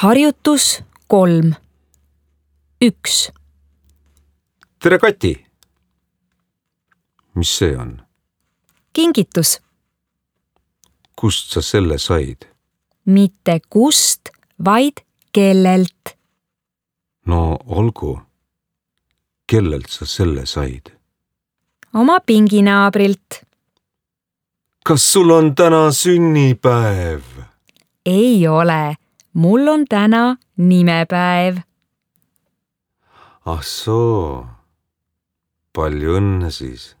Harjutus 3. 1. Tere, Kati! Mis see on? Kingitus. Kust sa selle said? Mitte kust, vaid kellelt. No olgu. Kellelt sa selle said? Oma pinginaabrilt. Kas sul on täna sünnipäev? Ei ole. Mul on täna nimepäev. Ah soo. Palju õnne siis.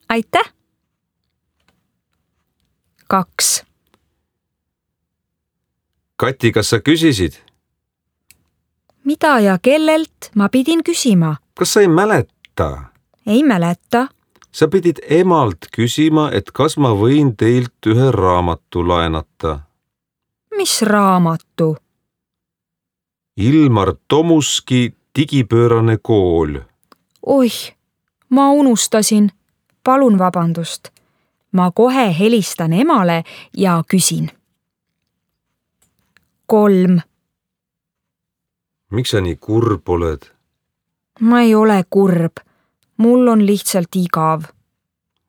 Aitäh! 2. Kati, kas sa küsisid? Mida ja kellelt ma pidin küsima? Kas sa ei mäleta? Ei mäleta. Sa pidid emalt küsima, et kas ma võin teilt ühe raamatu laenata. Mis raamatu? Ilmar Tomuski Digipöörane kool. Oih, ma unustasin. Palun vabandust. Ma kohe helistan emale ja küsin. 3. Miks sa nii kurb oled? Ma ei ole kurb. Mul on lihtsalt igav.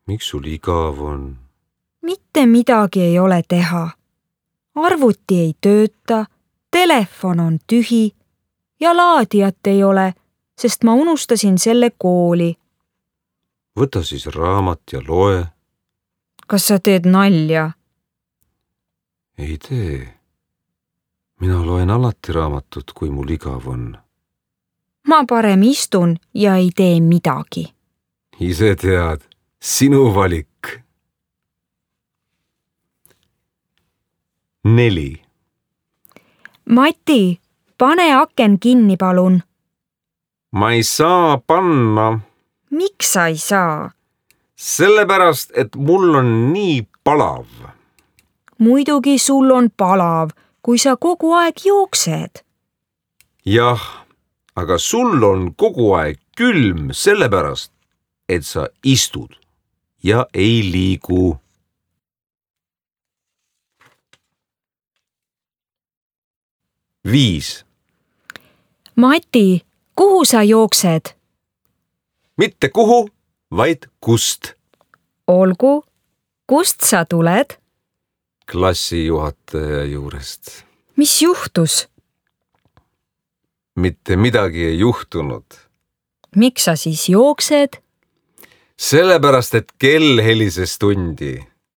Miks sul igav on? Mitte midagi ei ole teha. Arvuti ei tööta, telefon on tühi ja laadijat ei ole, sest ma unustasin selle kooli. Võta siis raamat ja loe. Kas sa teed nalja? Ei tee. Mina loen alati raamatut, kui mul igav on. Ma parem istun ja ei tee midagi. Ise tead, sinu valik. 4. Mati, pane aken kinni, palun. Ma ei saa panna. Miks sa ei saa? Sellepärast, et mul on nii palav. Muidugi sul on palav, kui sa kogu aeg jooksed. Jah, aga sul on kogu aeg külm sellepärast, et sa istud ja ei liigu. 5. Mati, kuhu sa jooksed? Mitte kuhu, vaid kust. Olgu, kust sa tuled? Klassijuhataja juurest. Mis juhtus? Mitte midagi ei juhtunud. Miks sa siis jooksed? Sellepärast, et kell helises tundi.